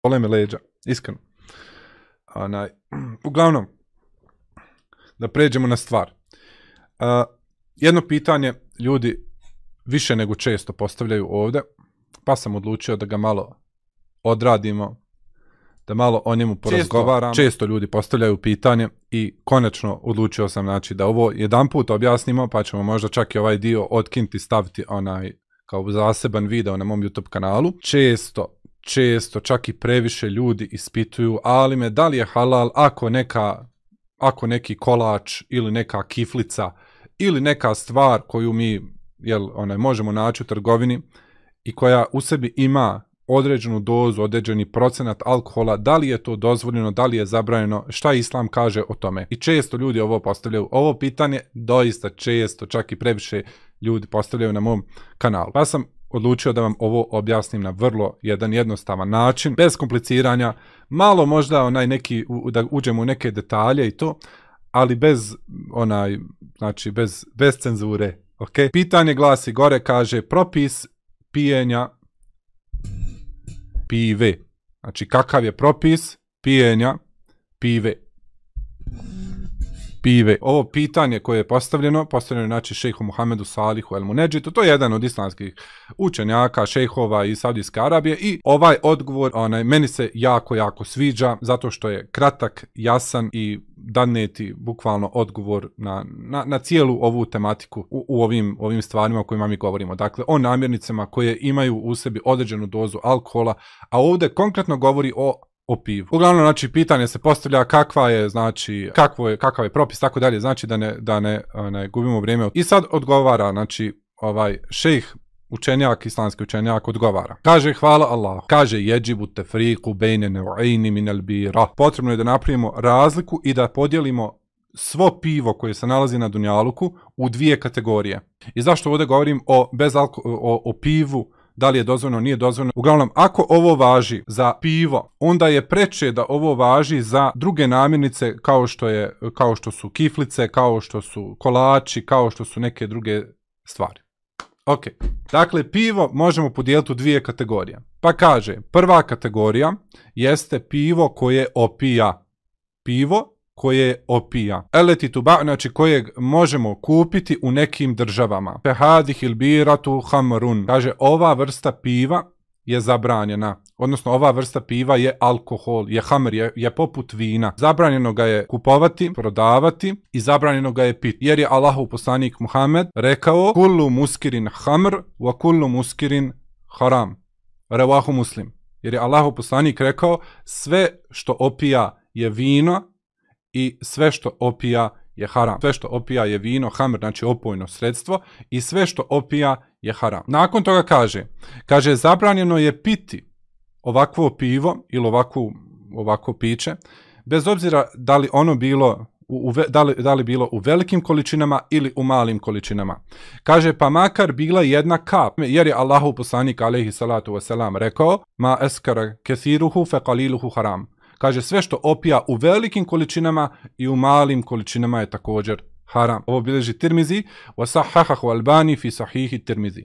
bole me leđa, iskreno. Uglavnom, da pređemo na stvar. Jedno pitanje ljudi više nego često postavljaju ovdje, pa sam odlučio da ga malo odradimo, da malo o njemu porazgovaramo. Često ljudi postavljaju pitanje i konačno odlučio sam znači, da ovo jedan put objasnimo, pa ćemo možda čak i ovaj dio otkinuti, staviti kao zaseban video na mom YouTube kanalu. Često, čak i previše ljudi ispituju, ali me da li je halal ako neki kolač ili neka kiflica ili neka stvar koju mi možemo naći u trgovini i koja u sebi ima određenu dozu, određeni procenat alkohola, da li je to dozvoljeno, da li je zabranjeno, šta Islam kaže o tome. I često ljudi ovo postavljaju. Ovo pitanje doista često, čak i previše ljudi postavljaju na mom kanalu. Pa sam odlučio da vam ovo objasnim na vrlo jednostavan način, bez kompliciranja, malo možda da uđemo u neke detalje i to, ali bez cenzure. Okay? Pitanje glasi gore, kaže propis pijenja pive. Znači kakav je propis pijenja pive. Ovo pitanje koje je postavljeno je znači šejhu Muhamedu Salihu El Munedžitu, to je jedan od islamskih učenjaka, šejhova iz Saudijske Arabije i ovaj odgovor meni se jako sviđa zato što je kratak, jasan i daneti bukvalno odgovor na cijelu ovu tematiku u ovim stvarima o kojima mi govorimo. Dakle, o namirnicama koje imaju u sebi određenu dozu alkohola, a ovdje konkretno govori o pivu. Uglavnom, znači, pitanje se postavlja kakav je propis, tako dalje, znači da ne gubimo vrijeme. I sad odgovara, znači, ovaj šejh učenjak, islamski učenjak, odgovara. Kaže, hvala Allah. Kaže, jeđibu tefriku bejne nev'ini minel bira. Potrebno je da napravimo razliku i da podijelimo svo pivo koje se nalazi na dunjaluku u dvije kategorije. I zašto ovdje govorim o pivu, da li je dozvoljeno, nije dozvoljeno. Uglavnom, ako ovo važi za pivo, onda je preče da ovo važi za druge namirnice kao što su kiflice, kao što su kolači, kao što su neke druge stvari. Ok, dakle, pivo možemo podijeliti u dvije kategorije. Pa kaže, prva kategorija jeste pivo koje opija. Pivo koje opija. Eleti tuba, znači kojeg možemo kupiti u nekim državama. Fehadih ilbiratu hamrun. Kaže, ova vrsta piva je zabranjena. Odnosno, ova vrsta piva je alkohol, je hamr, je poput vina. Zabranjeno ga je kupovati, prodavati i zabranjeno ga je piti. Jer je Allahov poslanik Muhammed rekao kullu muskirin hamr wa kullu muskirin haram. Revahu Muslim. Jer je Allahov poslanik rekao sve što opija je vino i sve što opija je haram. Sve što opija je vino, hamr, znači opojno sredstvo, i sve što opija je haram. Nakon toga kaže zabranjeno je piti ovakvo pivo ili ovako piće, bez obzira da li ono bilo da li bilo u velikim količinama ili u malim količinama. Kaže, pa makar bila jedna kap, jer je Allahov poslanik alejhi salatu vesselam rekao ma eskara kethiruhu fe qaliluhu haram. Kaže, sve što opija u velikim količinama i u malim količinama je također haram. Ovo bilježi Tirmizi, wa sahahahu Albani fi sahihi Tirmizi.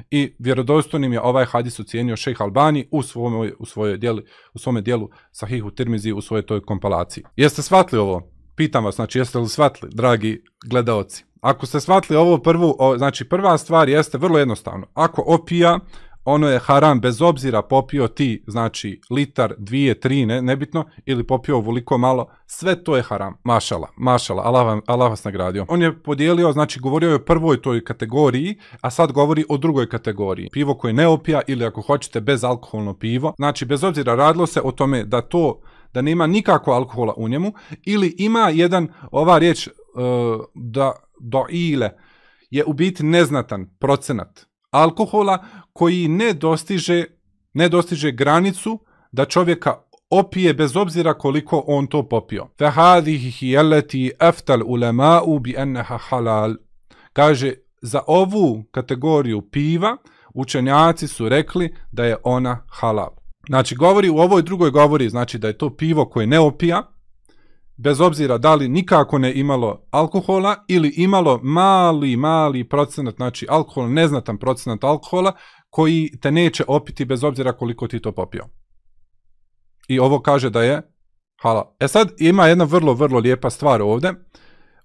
I vjerodostojnim je ovaj hadis ocijenio šejh Albani u svome dijelu Sahihu Tirmizi, u svojoj toj kompilaciji. Jeste shvatili ovo? Pitam vas, znači, jeste li shvatili, dragi gledaoci? Ako ste shvatili ovo znači prva stvar jeste vrlo jednostavno. Ako opija, ono je haram bez obzira popio ti, znači, litar, 2, 3, nebitno, ili popio ovoliko malo, sve to je haram. Mašala, Allah vas nagradio. On je podijelio, znači, govorio je o prvoj toj kategoriji, a sad govori o drugoj kategoriji. Pivo koje ne opija ili ako hoćete bezalkoholno pivo, znači, bez obzira radilo se o tome da nema nikakvo alkohola u njemu, ili ima ova riječ doile, je u biti neznatan procenat alkohola koji ne dostiže granicu da čovjeka opije bez obzira koliko on to popio. Fahadihi yallati aftal ulama'u bi annaha halal. Kaže, za ovu kategoriju piva učenjaci su rekli da je ona halal. Znači, u ovoj drugoj govori, znači, da je to pivo koje ne opija, bez obzira da li nikako ne imalo alkohola ili imalo mali procenat, znači alkohol, neznatan procenat alkohola koji te neće opiti bez obzira koliko ti to popio. I ovo kaže da je halal. Sad ima jedna vrlo, vrlo lijepa stvar ovdje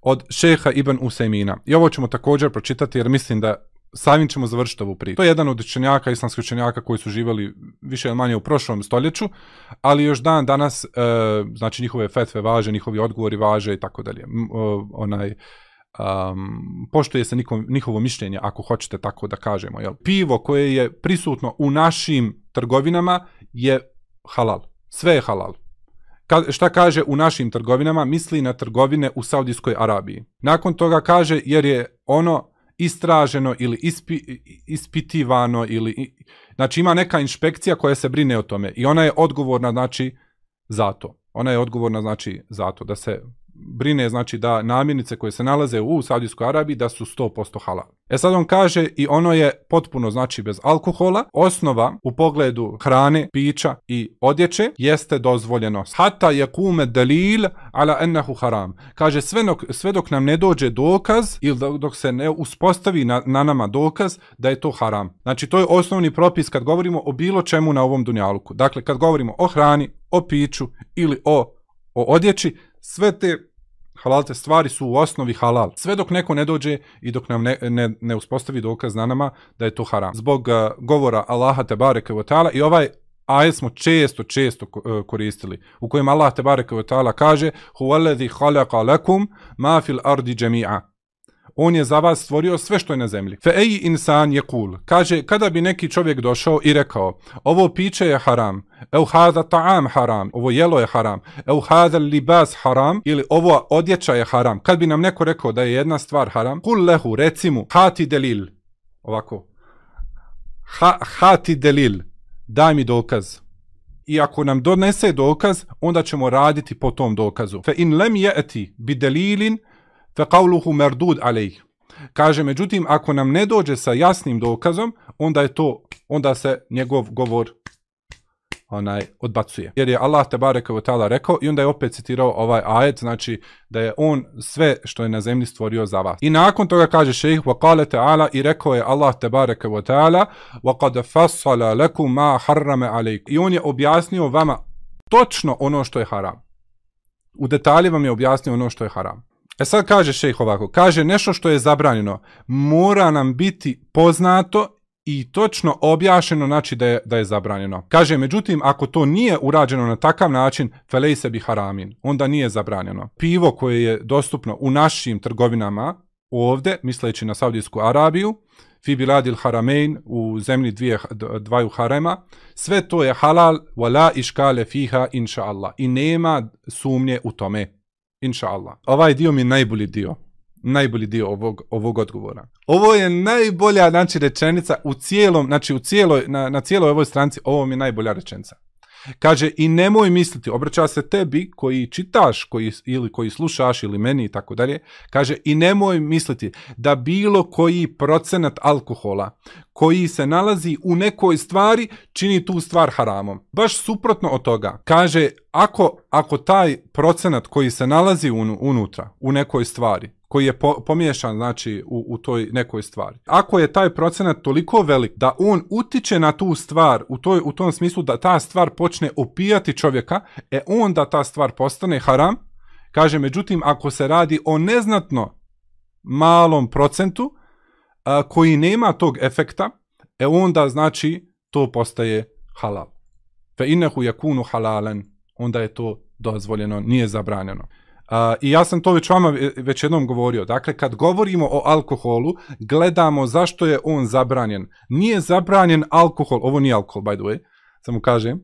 od šeha Ibn Usejmina. I ovo ćemo također pročitati jer mislim da samim ćemo završiti ovu priču. To je jedan od učenjaka, islamskih učenjaka koji su živjeli više ili manje u prošlom stoljeću, ali još dan danas, znači njihove fetve važe, njihovi odgovori važe i tako dalje. Poštuje se njihovo mišljenje, ako hoćete tako da kažemo. Jel? Pivo koje je prisutno u našim trgovinama je halal. Sve je halal. Šta kaže u našim trgovinama? Misli na trgovine u Saudijskoj Arabiji. Nakon toga kaže jer je ono istraženo ili ispitivano ili znači ima neka inšpekcija koja se brine o tome i ona je odgovorna znači za to. Ona je odgovorna znači za to da se brine znači da namirnice koje se nalaze u Saudijskoj Arabiji da su 100% halal. Sad on kaže i ono je potpuno znači bez alkohola. Osnova u pogledu hrane, pića i odjeće jeste dozvoljenost. Hatta yakume dalil ala annahu haram. Kaže sve dok nam ne dođe dokaz ili dok se ne uspostavi na nama dokaz da je to haram. Znači to je osnovni propis kad govorimo o bilo čemu na ovom dunjaluku. Dakle kad govorimo o hrani, o piću ili o odjeći, sve te halalte stvari su u osnovi halal. Sve dok neko ne dođe i dok nam ne uspostavi dokaz na nama da je to haram. Zbog govora Allaha tebareke ve taala i ovaj ajet smo često koristili u kojem Allah tebareke ve taala kaže huwallazi khalaqa lakum ma fil ardi jami'a. On je za vas stvorio sve što je na zemlji. Fe ej insan yaqul. Kaže kada bi neki čovjek došao i rekao ovo piće je haram, au hada ta'am haram, ovo jelo je haram, au hada libas haram ili ovo odjeća je haram. Kad bi nam neko rekao da je jedna stvar haram, kul lehu reci mu hati delil. Ovako. Hati delil. Daj mi dokaz. I ako nam donese dokaz, onda ćemo raditi po tom dokazu. Fe in lem yati bi delilin فَقَوْلُهُ مَرْدُودْ عَلَيْهِ. Kaže, međutim, ako nam ne dođe sa jasnim dokazom, onda se njegov govor odbacuje. Jer je Allah tebareke ve taala rekao i onda je opet citirao ovaj ajet, znači da je on sve što je na zemlji stvorio za vas. I nakon toga kaže šejh وَقَالَ تَعَالَ i rekao je Allah tebareke ve taala وَقَدْ فَصَّلَ لَكُمْ مَا حَرَّمَ عَلَيْكُمْ. I on je objasnio vama točno ono što je haram. U detalje vam je objasnio ono što je haram. Sad kaže šejh ovako, kaže nešto što je zabranjeno, mora nam biti poznato i točno objašnjeno, znači da je zabranjeno. Kaže, međutim, ako to nije urađeno na takav način, felejse bi haramin, onda nije zabranjeno. Pivo koje je dostupno u našim trgovinama, ovdje, misleći na Saudijsku Arabiju, fi biladil haramein, u zemlji dvaju harema, sve to je halal, wala iškale fiha, inša Allah. I nema sumnje u tome. Inša Allah. Ovaj dio mi je najbolji dio ovog odgovora. Ovo je najbolja znači rečenica na cijeloj ovoj stranici, ovo mi je najbolja rečenica. Kaže, i nemoj misliti, obraća se tebi koji čitaš, ili koji slušaš, ili meni i tako dalje, kaže, i nemoj misliti da bilo koji procenat alkohola koji se nalazi u nekoj stvari čini tu stvar haramom. Baš suprotno od toga. Kaže, ako taj procenat koji se nalazi unutra, u nekoj stvari, koji je pomiješan znači u toj nekoj stvari. Ako je taj procenat toliko velik da on utiče na tu stvar u tom smislu da ta stvar počne opijati čovjeka, onda ta stvar postane haram. Kaže, međutim, ako se radi o neznatno malom procentu koji nema tog efekta, onda znači to postaje halal. Fe innehu yakunu halalan, onda je to dozvoljeno, nije zabranjeno. I ja sam to već jednom govorio. Dakle, kad govorimo o alkoholu, gledamo zašto je on zabranjen. Nije zabranjen alkohol, ovo nije alkohol, by the way, samo kažem,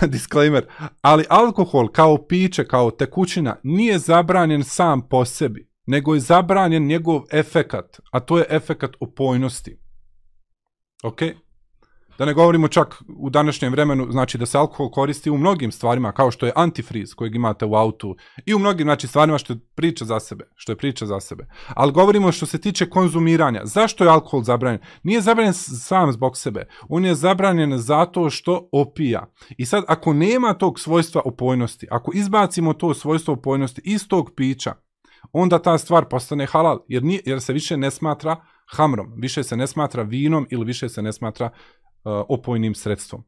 disclaimer, ali alkohol kao piće, kao tekućina, nije zabranjen sam po sebi, nego je zabranjen njegov efekat, a to je efekat opojnosti. Ok? Da ne govorimo čak u današnjem vremenu, znači da se alkohol koristi u mnogim stvarima, kao što je antifriz kojeg imate u autu i u mnogim znači, stvarima što je priča za sebe. Ali govorimo što se tiče konzumiranja. Zašto je alkohol zabranjen? Nije zabranjen sam zbog sebe. On je zabranjen zato što opija. I sad, ako nema tog svojstva opojnosti, ako izbacimo to svojstvo opojnosti iz tog pića, onda ta stvar postane halal, jer se više ne smatra hamrom, više se ne smatra vinom ili više se ne smatra opojnim sredstvom.